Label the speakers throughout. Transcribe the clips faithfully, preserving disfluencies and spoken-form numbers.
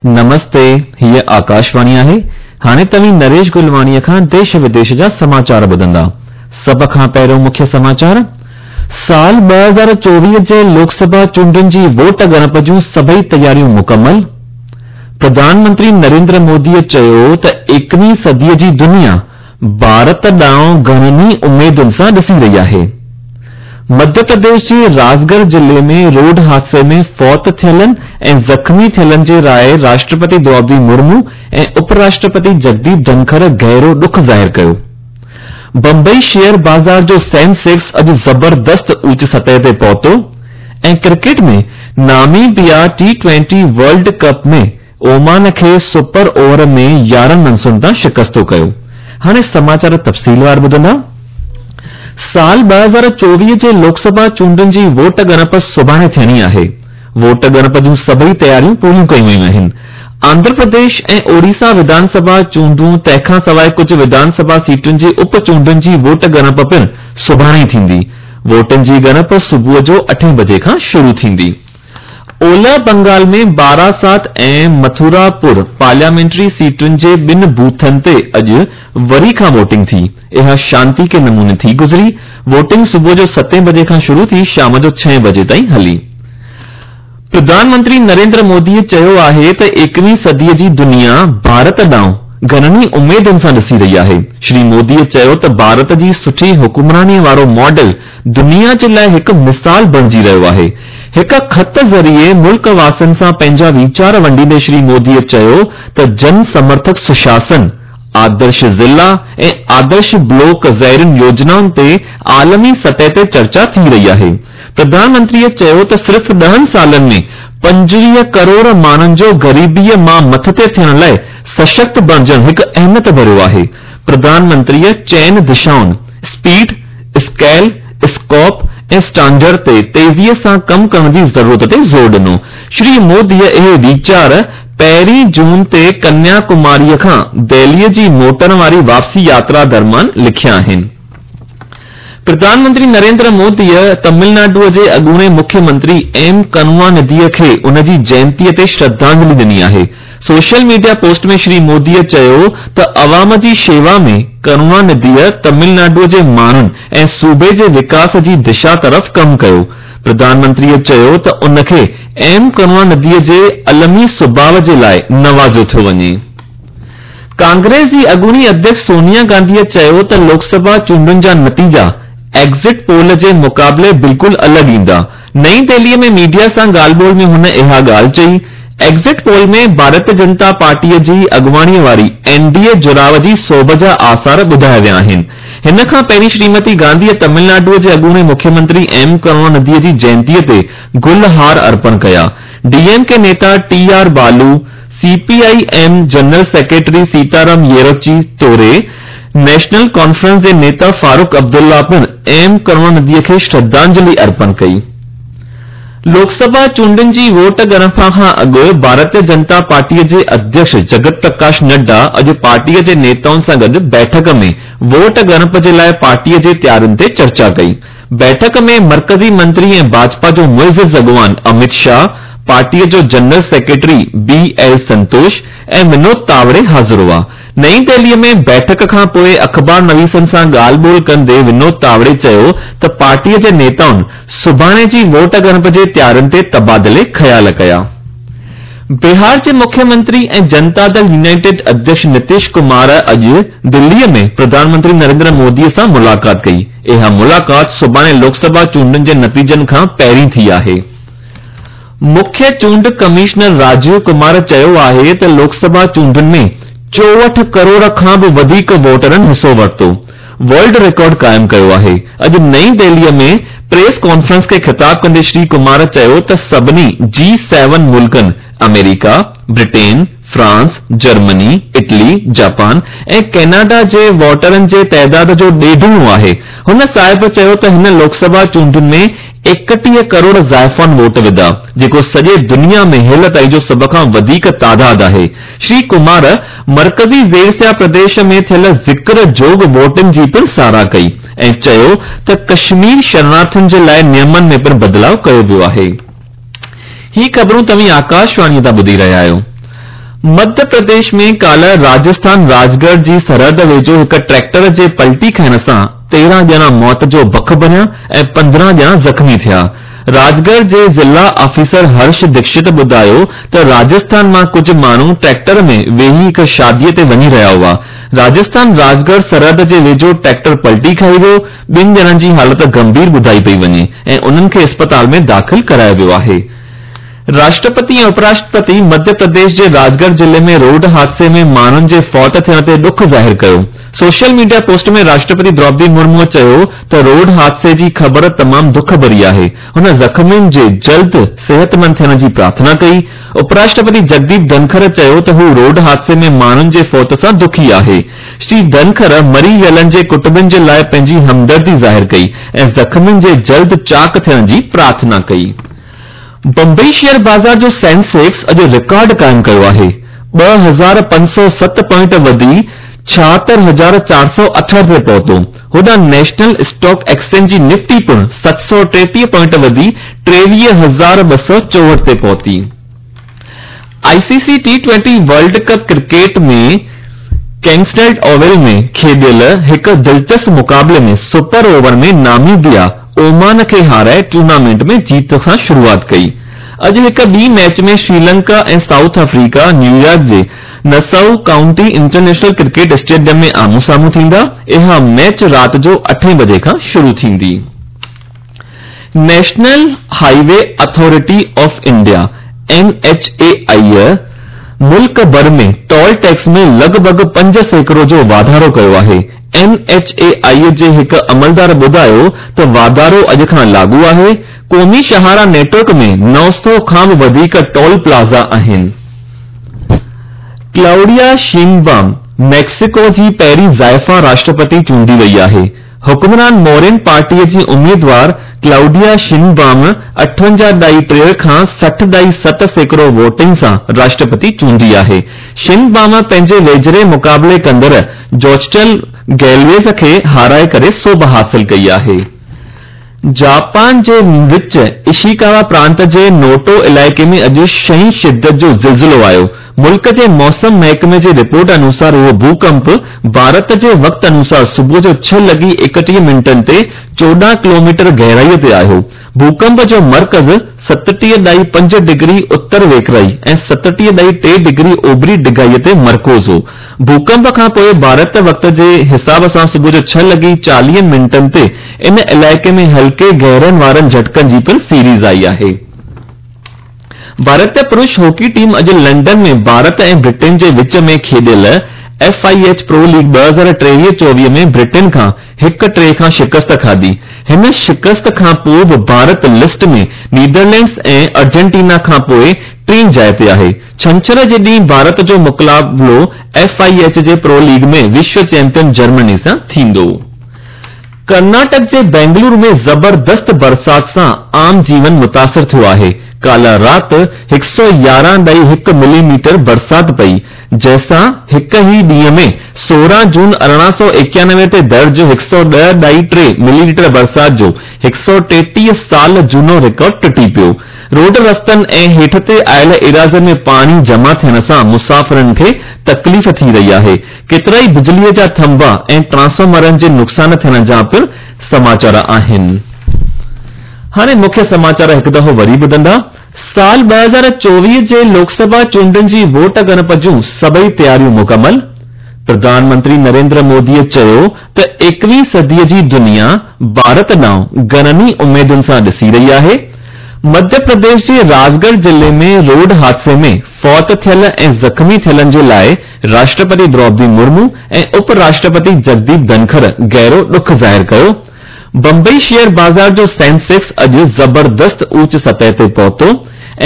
Speaker 1: نمستي، هيء آڪاشواڻي آهي. هاڻي توهين نريش گلواڻيء کان ديش وديش جا سماچار ٻڌندا. سڀ کان پهريون مکيه سماچار، سال ٻه هزار چوويهه جي لوڪ سڀا چونڊن جي ووٽ ڳڻپ جون سڀئي تياريون مڪمل. پرڌان منتري نريندر موديء چيو ته ايڪويهين صديء جي دنيا ڀارت ڏانهن گهڻن ئي اميدن سان ڏسي رهي آهي. مڌيه پرديش جي راجڳڙهه ضلعي ۾ روڊ حادثي ۾ فوت ٿيلن ۽ زخمي ٿيلن جي لاءِ راشٽرپتي دروپدي مرمو ۽ اپ راشٽرپتي جگديپ ڌنکڙ گهرو ڏک ظاهر ڪيو. بمبئي شيئر بازار جو سينسيڪس اڄ زبردست اوچ سطح تي پهتو ۽ cricket ۾ Namibia T twenty world cup ۾ Oman کي سپر اوور ۾ يارهن رنسن تان شڪست ڪيو. هاڻي سماچار تفصيلوار ٻڌندا. سال ٻه هزار چوويهه جي لوڪ سڀا چونڊن جي ووٽ ڳڻپ سڀاڻي ٿيڻي آهي. ووٽ ڳڻپ جون سڀئي تياريون پوريون ڪيون ويون آهن. آنڌرا پرديش ۽ اوڙيسا وڌان سڀا چونڊون تنهن کان سواءِ ڪجهه وڌان سڀا سيٽن جي اپ چونڊن جي ووٽ ڳڻپ پڻ سڀاڻي ئي ٿيندي. ووٽن جي ڳڻپ صبح جو اٺين بجي کان شروع ٿيندي. اولهه بنگال ۾ باراسات ۽ مٿوراپور پارليامينٽري سيٽن جي ٻن بوٿن تي اڄ وري کان ووٽنگ ٿي. اها شانتيڪي نموني ٿي گذري. ووٽنگ صبح جو ستين بجي کان شروع ٿي شام جو ڇهين بجي تائين هلي. پرڌان منتري نريندر موديء چيو آهي ته ايڪويهين صديء جي دنيا ڀارت ڏانهن گهڻن ئي اميدن سان ڏسي رهي آهي. شري موديء چيو ته ڀارت جي سٺي حڪمرانيء وارو ماڊل دنيا جي لاءِ هڪ مثال بڻجي رهيو آهي. هڪ خط ذريعي ملڪ واسين سان پنهنجا ويچار ونڊيندي شري موديء چيو ته جن سمرٿڪ سشاسن، آدرش ضلع ۽ آدرش بلاڪ جهڙين يوجنائن تي عالمي سطح تي چرچا ٿي رهي آهي. پرڌان منتريء چيو ته صرف ڏهن سالن ۾ پنجويهه ڪروڙ ماڻهن جو غريبيء مان مٿتي ٿيڻ لاءِ سشڪت بڻجڻ هڪ اهميت ڀريو آهي. پرڌان منتريء چئن دشائن اسپيڊ، اسڪيل، اسڪوپ ۽ اسٽينڊرڊ تي تيزيء سان ڪم ڪرڻ جي ضرورت تي زور ڏنو. شري موديء اهي ويچار پهرين جون تي ڪنيا ڪماريء کان دهليء جي موٽڻ واري واپسي ياترا درميان لکيا آهن. پرڌان منتري نريندر موديء تامل ناڊوء جي اڳوڻي مکيه منتري ايم ڪرڻانڌيء کي ان جي جينتيء تي شرڌانجلي ڏني آهي. سوشل ميڊيا پوسٽ ۾ شري موديء چيو ته عوام جي شيوا ۾ ڪرڻانڌيء تامل ناڊوء جي ماڻهن ۽ صوبي جي وڪاس جي دشا طرف ڪم ڪيو. پرڌان منتريء چيو ته ان کي ايم ڪرڻانڌيء جي علمي سڀاءُ جي لاءِ نوازيو ٿو وڃي. ڪانگريس جي اڳوڻي اڌيڪش سونيا گانڌيء چيو ته لوڪ سڀا چونڊن جا نتيجا ايگزٽ پول جي مقابلي بلڪل الڳ ايندا. نئين دهليء ۾ ميڊيا سان ڳالهه ٻولهه ۾ هن اها ڳالهه چئي. ايگزٽ پول ۾ ڀارتيه جنتا پارٽيء جي اڳواڻيء واري اين ڊي اي جڙاءُ جي سوڀ جا آثار ٻڌايا ويا آهن. هن کان پهرين شريمتي گانڌيء تامل ناڊوء جي اڳوڻي مکيه منتري ايم ڪرڻانڌيء جي جينتيء تي گل هار ارپڻ ڪيا. D M K Nita T R Baalu, C P I M general secretary Sitaram Yechury توڙي نيشنل ڪانفرنس جي نيتا فاروق عبدالله پڻ ايم ڪرڻانڌيء کي شرڌانجلي ارپڻ ڪئي. لوڪ سڀا چونڊن جي ووٽ ڳڻپ کان اڳ ڀارتيه جنتا پارٽيء جي اڌيڪش جگت پرڪاش نڊا اڄ پارٽيء جي نيتائن سان گڏ بيٺڪ ۾ ووٽ ڳڻپ جي لاءِ پارٽيء جي تيارين تي چرچا ڪئي. بيٺڪ ۾ مرڪزي منتري ۽ ڀاجپا جو معزز اڳواڻ امت شاهه، پارٽيء جو general secretary B L Santosh ۽ Vinod Tawde حاضر هئا. نئين دهليء ۾ بيٺڪ کان پوءِ اخبار نويسن سان ڳالهه ٻولهه ڪندي ونود تاوڙي چيو ته پارٽيء جي نيتائن سڀاڻي جي ووٽ ڳڻپ جي تيارين تي تبادلي خيال ڪيا. بهار جي مکيه منتري ۽ جنتا دل يونائيٽيڊ اڌيڪش نتيش ڪمار اڄ دليء ۾ پرڌان منتري نريندر موديء سان ملاقات ڪئي. اها ملاقات سڀاڻي لوڪ سڀا چونڊن جي نتيجن کان پهرين ٿي آهي. مکيه چونڊ ڪمشنر راجيو ڪمار چيو آهي ته لوڪ سڀا چونڊن ۾ چوهٺ ڪروڙ کان به وڌيڪ ووٽرن حصو ورتو، ورلڊ رڪارڊ قائم ڪيو آهي. اڄ نئين دهليء ۾ پريس ڪانفرنس کي خطاب ڪندي شري ڪمار چيو ته سڀني جي سيون ملڪن آمريڪا، Britain, France, Germany, Italy, Japan ۽ Canada جي ووٽرن جي تعداد جو ڏيڍوڻو آهي. هن صاحب چيو ته هن لوڪ سڀا چونڊن ۾ ايڪٽيهه ڪروڙ زائفان ووٽ وڌا، جيڪو سڄي دنيا ۾ هيل تائين جو سڀ کان وڌيڪ تعداد آهي. شري ڪمار مرڪزي زيرسيا پرديش ۾ ٿيل ذڪر جوڳ ووٽن جي پڻ ساراهه ڪئي ۽ چيو ته ڪشمير شرڻارٿين جي لاءِ نيمن ۾ پڻ بدلاءُ ڪيو ويو آهي. هي خبرون توهين آڪاشواڻيء تان ٻڌي رهيا آهيو. مڌيه پرديش ۾ ڪالهه راجسٿان راجڳڙهه جي سرحد ويجهو هڪ ٽريڪٽر جي پلٽي کائڻ سان تيرهن ڄڻا موت جو بک بڻيا ۽ پندرهن ڄڻا زخمي ٿيا. راجڳڙهه جي ضلع آفيسر هرش دڪشت ٻڌايو ته راجسٿان مان ڪجهه ماڻهو ٽريڪٽر ۾ ويهي هڪ شادي تي وڃي رهيا هئا. راجسٿان راجڳڙهه سرحد جي ويجهو ٽريڪٽر پلٽي کائي ويو، ٻن ڄڻن جي حالت گنڀير ٻڌائي پئي وڃي ۽ انهن کي اسپتال ۾ داخل ڪرايو ويو آهي. راشٽرپتي ۽ اپراشٽرپتي مڌيه پرديش جي راجڳڙهه ضلعي ۾ روڊ حادثي ۾ ماڻهن جي فوت ٿيڻ تي ڏک ظاهر ڪيو. Social media post ۾ Rashtrapati Droupadi Murmu چيو ته روڊ حادثي جي خبر تمام دک ڀري آهي. هن زخمين جي جلد صحتمند ٿيڻ جي پرارٿنا ڪئي. اپراشٽرپتي جگديپ ڌنکر چيو ته هو روڊ حادثي ۾ ماڻهن جي فوت سان دکي آهي. شري ڌنکر مري ويلن جي ڪٽنبن جي لاء پنهنجي همدردي ظاهر ڪئي ۽ زخمين جي جلد چاق ٿيڻ جي پرارٿنا ڪئي. بمبئي شيئر بازار جو سينسيڪس اڄ رڪارڊ قائم ڪيو آهي. ٻه هزار پنج سؤ ست پوائنٽ وڌي ڇاهتر هزار چار سؤ اٺهٺ تي پهتو. هوڏانهن نيشنل اسٽاڪ ايڪسچينج جي نفٽي پڻ ست سؤ ٽيٽيهه پوائنٽ وڌي ٽيويهه هزار ٻه سؤ چوهٺ تي پهتي. I C C T twenty world cup cricket ۾ Kensington Oval ۾ کيڏيل هڪ دلچسپ مقابلي ۾ super over ۾ Namibia Oman کي هارائي ٽورنامينٽ ۾ جيت سان شروعات ڪئي. اڄ هڪ ٻي match ۾ Sri Lanka ۽ South Africa New York جي Nassau County International Cricket Stadium ۾ آمهون سامهون ٿيندا. اها ميچ رات جو اٺين بجي کان شروع ٿيندي. National Highway Authority of India, N H A I, ملڪ ڀر ۾ ٽول ٽيڪس ۾ لڳ ڀڳ پنج سيڪڙو جو واڌارو ڪيو آهي. اين ايڇ اي آء جي هڪ عملدار ٻڌايو ته واڌارو اڄ کان لاڳو آهي. قومي شاهراهه نيٽ ورڪ ۾ نو سؤ کان به وڌيڪ ٽول پلازا آهن. ڪلائوڊيا شينبام ميڪسيڪو جي پهرين زائفان راشٽرپتي چونڊي وئي آهي. حڪمران مورين پارٽي جي اميدوار ڪلائوڊيا شينبام اٺونجاهه ڏهائي ٽي کان سٺ ڏهائي ست سيڪڙو ووٽنگ سان راشٽرپتي چونڊي آهي. شينبام پنهنجي ويجهڙي مقابلي ڪندڙ جوچٽل گيلويز کي هارائي ڪري سوڀ حاصل ڪئي آهي. جاپان جي وچ اشيڪاوا پرانت جي نوٽو علائقي ۾ اڄ ڇهين شدت جو زلزلو آيو. ملڪ جي موسم محڪمي جي رپورٽ انوسار اهو ڀوڪمپ ڀارت جي وقت انوسار صبح جو ڇهه لڳي ايڪٽيهه منٽن تي چوڏهن ڪلوميٽر گهرائي تي آيو. ڀوڪمپ جو مرڪز ستٽيهه ڏهائي پنج ڊگري اتر ويڪرائي ۽ ستٽيهه ڏهائي ٽي ڊگري اوڀري ڊگهائي تي مرڪوز هو. ڀوڪمپ کان پوءِ ڀارت وقت جي حساب سان صبح جو ڇهه لڳي چاليهه منٽن تي ان علائقي ۾ هلڪي گهرن وارن جهٽڪن جي پڻ سيريز آئي آهي. ڀارتي پرش هاڪي ٽيم اڄ لنڊن ۾ ڀارت ۽ برٽن جي وچ ۾ کيڏيل F I H pro league ٻه هزار ٽيويهه چوويهه ۾ برٽن کان هڪ ٽي کان شڪست کاڌي. هن شڪست کان پوءِ به ڀارت لسٽ ۾ نيدرلينڊز ۽ ارجنٽينا کان پوءِ ٽين جاءِ تي آهي. ڇنڇر جي ڏينهن ڀارت جو مقابلو ايف I H جي پرو ليگ ۾ وشو چيمپيئن جرمني سان ٿيندو. ڪرناٽڪ جي بينگلورو ۾ زبردست برسات سان عام جيون متاثر ٿيو آهي. ڪالهه رات هڪ سؤ يارهن ڏهائي هڪ ملي ميٽر برسات پئي، جنهن سان هڪ ئي ڏينهن ۾ سورهن جون ارڙهن سؤ ايڪانوي تي درج هڪ سؤ ڏهه ڏهائي ٽي ملي ليٽر برسات جو هڪ سؤ ٽيٽيهه سال جهونو رڪارڊ ٽٽي پيو. روڊ رستن ۽ هيٺ تي آيل ايراضين ۾ پاڻي جمع ٿيڻ سان مسافرن کي تڪليف ٿي رهي آهي. ڪيترائي بجليءَ جا ٿنڀا ۽ ٽرانسفارمرن جي نقصان ٿيڻ جا پڻ سماچار آهن. هاڻي مکيه سماچار هڪ دفعو وري ٻڌندا. سال ٻه هزار چوويهه جي لوڪسڀا چونڊن جي ووٽ ڳڻپ جون سڀئي تياريون مڪمل. پرڌان منتري نريندر موديءَ چيو ته ايڪويهين صديءَ جي دنيا ڀارت ڏانهن گهڻن ئي اميدن سان ڏسي رهي آهي. مڌيه پرديش جي راجڳڙهه ضلعي ۾ روڊ حادثي ۾ فوت ٿيل ۽ زخمي ٿيلن جي لاءِ راشٽرپتي دروپدي مرمو ۽ اپ راشٽرپتي جگديپ ڌنکر گهرو ڏک ظاهر ڪيو. بمبئي شيئر بازار جو سينسيڪس اڄ زبردست اوچ سطح تي پهتو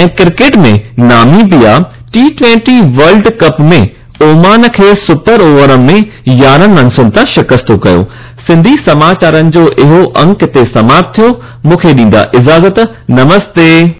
Speaker 1: ۽ cricket ۾ Namibia T twenty world cup ۾ Oman کي سپر اوور ۾ يارهن رنسن تان شڪست ڪيو. سنڌي سماچارن جو اهو انڪ هتي سماپت ٿيو. مون کي ڏيندا اجازت. نمستي.